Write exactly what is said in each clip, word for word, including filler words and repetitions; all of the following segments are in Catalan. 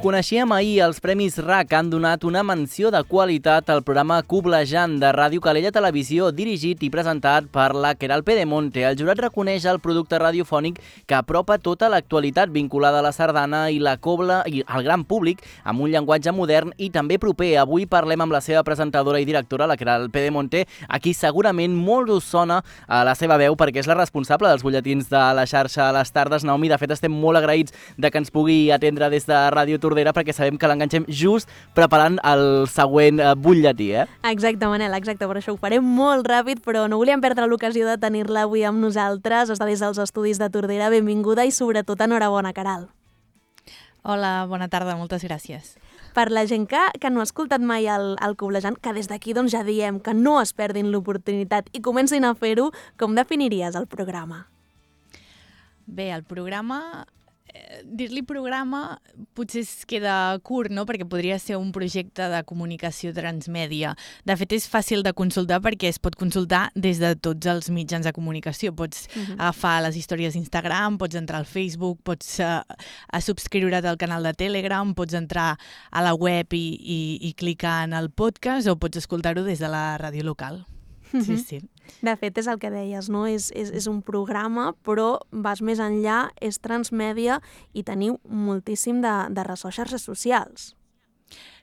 Coneixíem ahir els Premis R A C que han donat una menció de qualitat al programa Coblejant de Ràdio Calella Televisió, dirigit i presentat per la Queralt Pedemonte. El jurat reconeix el producte radiofònic que apropa tota l'actualitat vinculada a la sardana i la cobla i al gran públic amb un llenguatge modern i també proper. Avui parlem amb la seva presentadora i directora, la Queralt Pedemonte, a qui segurament molt us sona a la seva veu perquè és la responsable dels butlletins de la xarxa a les tardes. Naomi, de fet estem molt agraïts de que ens pugui atendre des de Ràdio Tordera perquè sabem que l'enganxem just preparant el següent eh, butlletí, eh? Exacte, Manel, exacte, per això ho farem molt ràpid, però no volíem perdre l'ocasió de tenir-la avui amb nosaltres. Està des dels estudis de Tordera, benvinguda i sobretot enhorabona, Queralt. Hola, bona tarda, moltes gràcies. Per la gent que, que no ha escoltat mai el, el Coblejant, que des d'aquí doncs, ja diem que no es perdin l'oportunitat i comencin a fer-ho, com definiries el programa? Bé, el programa... Dir-li programa potser es queda curt, no? Perquè podria ser un projecte de comunicació transmèdia. De fet, és fàcil de consultar perquè es pot consultar des de tots els mitjans de comunicació. Pots uh-huh. agafar les històries d'Instagram, pots entrar al Facebook, pots uh, a subscriure't al canal de Telegram, pots entrar a la web i, i, i clicar en el podcast o pots escoltar-ho des de la ràdio local. Uh-huh. Sí, sí. De fet, és el que deies, no? És, és, és un programa, però vas més enllà, és transmèdia i teniu moltíssim de, de ressò a xarxes socials.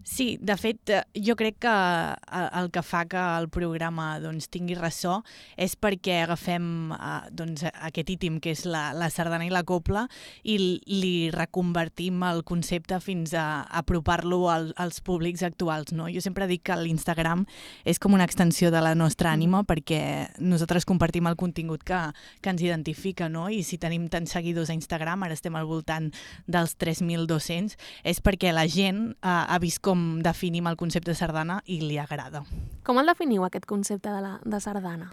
Sí, de fet, jo crec que el que fa que el programa doncs, tingui ressò és perquè agafem doncs, aquest ítem que és la, la sardana i la cobla i li reconvertim el concepte fins a apropar-lo al, als públics actuals. No? Jo sempre dic que l'Instagram és com una extensió de la nostra ànima perquè nosaltres compartim el contingut que, que ens identifica, no? I si tenim tants seguidors a Instagram, ara estem al voltant dels tres mil dos-cents, és perquè la gent eh, ha vist com definim el concepte de sardana i li agrada. Com el definiu, aquest concepte de, la, de sardana?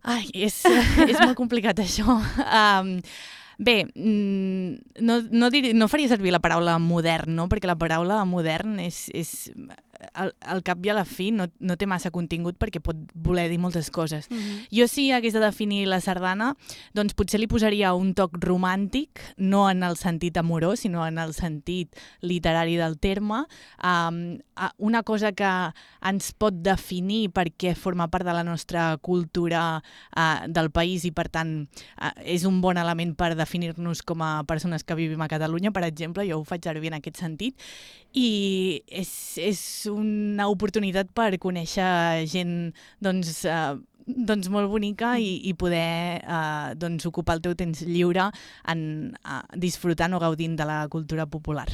Ai, és, és molt complicat, això. Um, bé, no, no, dir, no faria servir la paraula modern, no? Perquè la paraula modern és... és Al, al cap i a la fi no, no té massa contingut perquè pot voler dir moltes coses. Mm-hmm. Jo si hagués de definir la sardana, doncs potser li posaria un toc romàntic, no en el sentit amorós, sinó en el sentit literari del terme. Um, una cosa que ens pot definir perquè forma part de la nostra cultura uh, del país i per tant uh, és un bon element per definir-nos com a persones que vivim a Catalunya, per exemple, jo ho faig servir en aquest sentit. I és, és una oportunitat per conèixer gent doncs, eh, doncs molt bonica i, i poder eh, doncs, ocupar el teu temps lliure en, eh, disfrutant o gaudint de la cultura popular.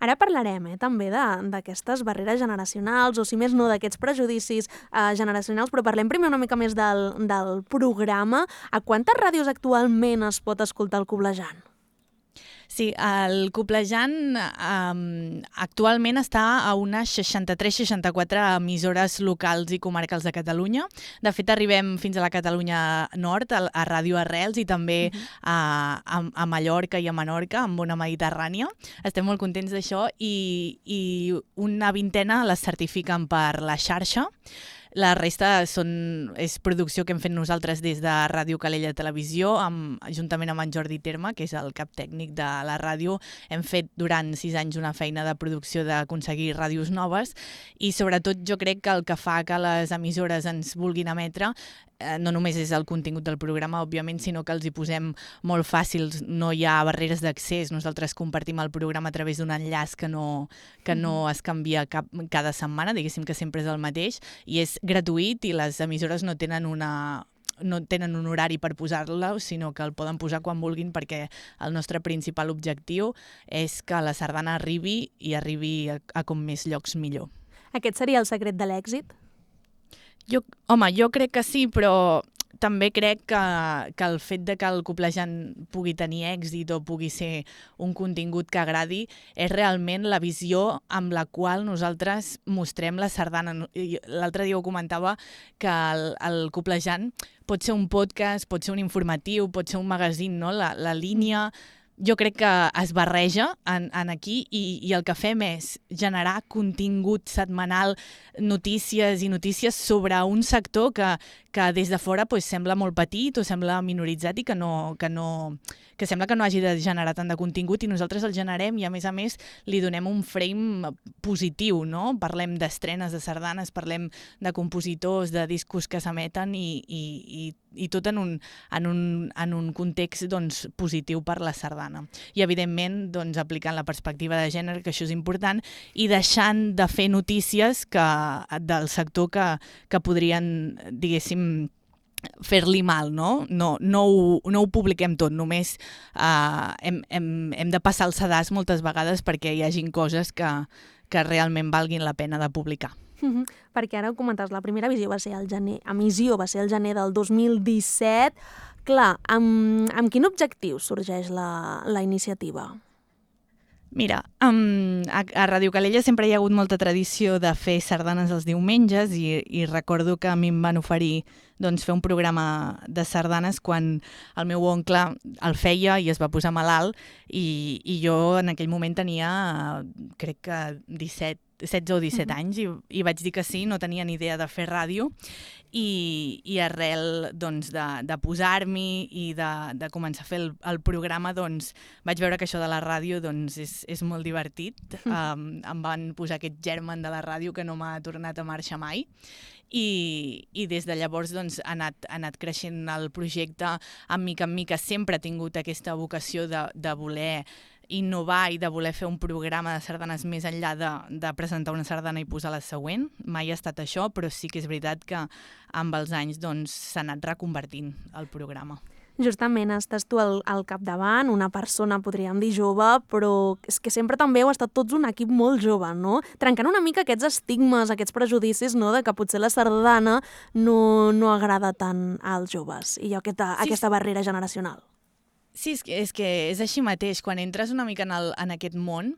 Ara parlarem eh, també d'aquestes barreres generacionals o si més no d'aquests prejudicis eh, generacionals, però parlem primer una mica més del, del programa. A quantes ràdios actualment es pot escoltar el Coblejant? Sí, el Coblejant um, actualment està a unes seixanta-tres seixanta-quatre emissores locals i comarcals de Catalunya. De fet, arribem fins a la Catalunya Nord, a, a Ràdio Arrels i també uh-huh. a, a, a Mallorca i a Menorca, amb Ona Mediterrània. Estem molt contents d'això i, i una vintena les certifiquen per la xarxa. La resta són, és producció que hem fet nosaltres des de Ràdio Calella Televisió, amb, juntament amb en Jordi Terme, que és el cap tècnic de la ràdio. Hem fet durant sis anys una feina de producció d'aconseguir ràdios noves i sobretot jo crec que el que fa que les emissores ens vulguin emetre eh, no només és el contingut del programa, òbviament, sinó que els hi posem molt fàcils, no hi ha barreres d'accés, nosaltres compartim el programa a través d'un enllaç que no, que no es canvia cap, cada setmana, diguéssim que sempre és el mateix, i és gratuït i les emissores no tenen una no tenen un horari per posar-la, sinó que el poden posar quan vulguin perquè el nostre principal objectiu és que la sardana arribi i arribi a, a com més llocs millor. Aquest seria el secret de l'èxit? Jo, home, jo crec que sí, però també crec que, que el fet de que el Coblejant pugui tenir èxit o pugui ser un contingut que agradi és realment la visió amb la qual nosaltres mostrem la sardana. L'altre dia ho comentava que el, el Coblejant pot ser un podcast, pot ser un informatiu, pot ser un magazín, no? La, la línia jo crec que es barreja en, en aquí i, i el que fem és generar contingut setmanal, notícies i notícies sobre un sector que, que des de fora pues, sembla molt petit o sembla minoritzat i que, no, que, no, que sembla que no hagi de generar tant de contingut i nosaltres el generem i a més a més li donem un frame positiu, no? Parlem d'estrenes de sardanes, parlem de compositors, de discos que s'emeten i, i, i, i tot en un, en un, en un context doncs, positiu per la sardana. I evidentment doncs, aplicant la perspectiva de gènere, que això és important, i deixant de fer notícies que, del sector que, que podrien, diguéssim, fer-li mal, no? No, no, ho, no ho publiquem tot, només uh, hem, hem, hem de passar el sedàs moltes vegades perquè hi hagin coses que, que realment valguin la pena de publicar. Mm-hmm. Perquè ara ho comentaves, la primera visió va ser el gener, emissió va ser el gener del dos mil disset. Clar, amb, amb quin objectiu sorgeix la, la iniciativa? Mira, um, a, a Ràdio Calella sempre hi ha hagut molta tradició de fer sardanes els diumenges i, i recordo que a mi em van oferir doncs, fer un programa de sardanes quan el meu oncle el feia i es va posar malalt i, i jo en aquell moment tenia, crec que disset, setze o disset mm-hmm. anys i, i vaig dir que sí, no tenia ni idea de fer ràdio i, i arrel doncs, de, de posar-m'hi i de, de començar a fer el, el programa doncs, vaig veure que això de la ràdio doncs, és, és molt divertit. Mm. Um, em van posar aquest germen de la ràdio que no m'ha tornat a marxar mai i, i des de llavors doncs, ha, anat, ha anat creixent el projecte en mica en mica. Sempre ha tingut aquesta vocació de, de voler innovar i de voler fer un programa de sardanes més enllà de, de presentar una sardana i posar la següent. Mai ha estat això, però sí que és veritat que amb els anys doncs, s'ha anat reconvertint el programa. Justament estàs tu al, al capdavant, una persona, podríem dir, jove, però és que sempre també heu estat tots un equip molt jove, no? Trencant una mica aquests estigmes, aquests prejudicis, no?, de que potser la sardana no, no agrada tant als joves i aquesta, sí, aquesta barrera generacional. Sí, és que, és que és així mateix. Quan entres una mica en, el, en aquest món,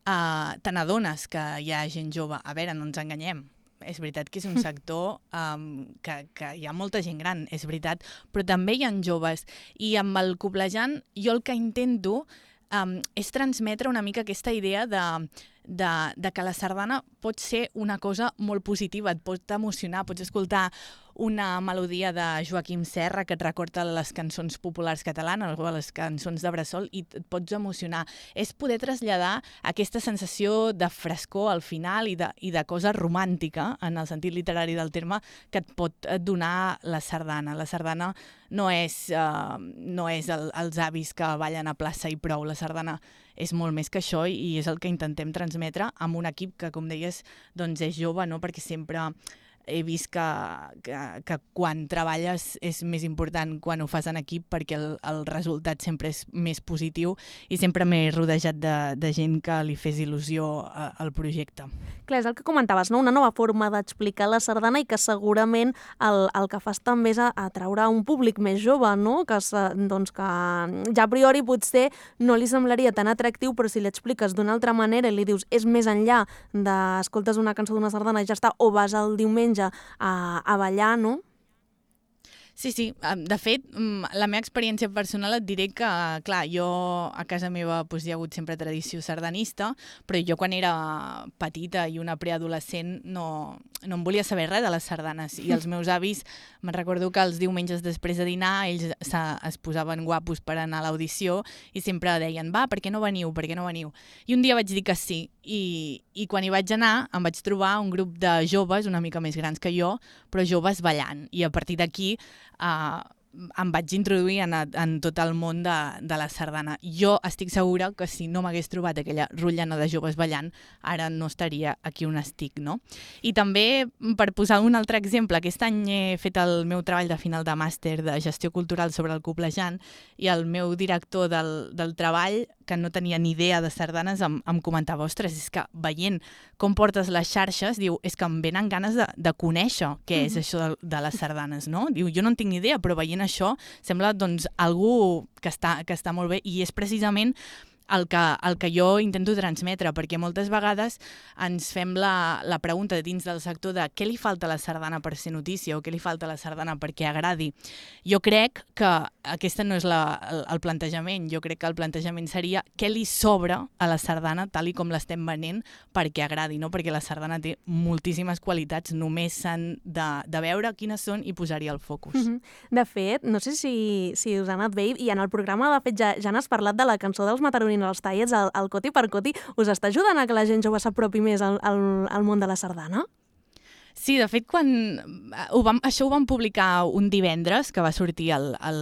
uh, te n'adones que hi ha gent jove. A veure, no ens enganyem. És veritat que és un sector um, que, que hi ha molta gent gran, és veritat, però també hi ha joves. I amb el Coblejant jo el que intento um, és transmetre una mica aquesta idea de, de, de que la sardana pot ser una cosa molt positiva, et pot emocionar, pots escoltar una melodia de Joaquim Serra que et recorda les cançons populars catalanes o les cançons de bressol i et pots emocionar. És poder traslladar aquesta sensació de frescor al final i de, i de cosa romàntica, en el sentit literari del terme, que et pot donar la sardana. La sardana no és, uh, no és el, els avis que ballen a plaça i prou. La sardana és molt més que això i és el que intentem transmetre amb un equip que, com deies, doncs és jove, no? Perquè sempre he vist que, que, que quan treballes és més important quan ho fas en equip perquè el, el resultat sempre és més positiu i sempre m'he rodejat de, de gent que li fes il·lusió a, al projecte. Clar, és el que comentaves, no? Una nova forma d'explicar la sardana i que segurament el, el que fas també és atraure un públic més jove, no? Que, doncs, que ja a priori potser no li semblaria tan atractiu, però si li expliques d'una altra manera i li dius és més enllà d'escoltes una cançó d'una sardana i ja està, o vas el diumenge A, a ballar, no? Sí, sí. De fet, la meva experiència personal et diré que, clar, jo a casa meva doncs, hi ha hagut sempre tradició sardanista, però jo quan era petita i una preadolescent no, no em volia saber res de les sardanes. I els meus avis, me'n recordo que els diumenges després de dinar ells es posaven guapos per anar a l'audició i sempre deien, va, per què no veniu, per què no veniu? I un dia vaig dir que sí. I, i quan hi vaig anar em vaig trobar un grup de joves una mica més grans que jo, però joves ballant. I a partir d'aquí uh, em vaig introduir en, en tot el món de, de la sardana. Jo estic segura que si no m'hagués trobat aquella rotllana de joves ballant, ara no estaria aquí on estic, no? I també, per posar un altre exemple, aquest any he fet el meu treball de final de màster de gestió cultural sobre el Coblejant i el meu director del, del treball, que no tenia ni idea de sardanes, em, em comentava, ostres, és que veient com portes les xarxes, diu, és que em venen ganes de, de conèixer què és això de, de les sardanes, no? Diu, jo no en tinc ni idea, però veient això sembla doncs algú que està, que està molt bé i és precisament el que, el que jo intento transmetre, perquè moltes vegades ens fem la, la pregunta dins del sector de què li falta a la sardana per ser notícia o què li falta a la sardana perquè agradi. Jo crec que aquesta no és la, el, el plantejament, jo crec que el plantejament seria què li sobra a la sardana tal i com l'estem venent perquè agradi, no? Perquè la sardana té moltíssimes qualitats, només s'han de, de veure quines són i posar-hi el focus. Mm-hmm. De fet, no sé si, si us ha anat bé, i en el programa de fet ja, ja n'has parlat de la cançó dels Mataronins els tallets, el, el Coti per Coti, us està ajudant a que la gent jove s'apropi més al, al, al món de la sardana? Sí, de fet, quan ho vam, això ho vam publicar un divendres, que va sortir el, el,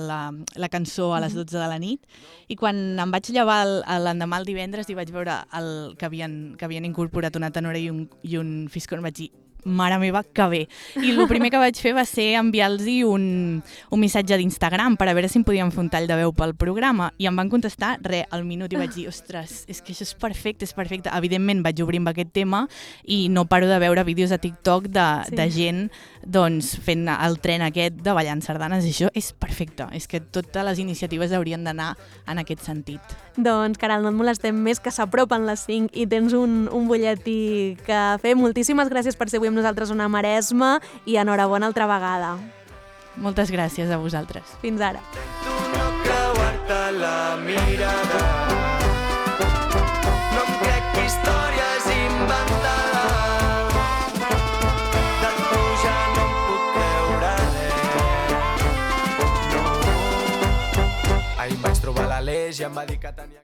la, la cançó a les dotze de la nit, i quan em vaig llevar l'endemà el divendres i vaig veure el, que, havien, que havien incorporat una tenora i un, i un fiscorn, vaig dir, mare meva, que bé. I el primer que vaig fer va ser enviar-los un, un missatge d'Instagram per a veure si em podien fer un tall de veu pel programa. I em van contestar, re, al minut, i vaig dir, ostres, és que això és perfecte, és perfecte. Evidentment vaig obrir amb aquest tema i no paro de veure vídeos a TikTok de, sí. de gent doncs, fent el tren aquest de ballant sardanes, i això és perfecte. És que totes les iniciatives haurien d'anar en aquest sentit. Doncs, Caral, no et molestem més, que s'apropen les cinc i tens un, un butlletí que fer. Moltíssimes gràcies per ser avui amb nosaltres una Maresma i enhorabona altra vegada. Moltes gràcies a vosaltres. Fins ara. No creuar-te la mirada, no em crec històries inventades, de tu ja no em puc creure res. No. Ahir em vaig trobar l'Aleix i em va dir que tenia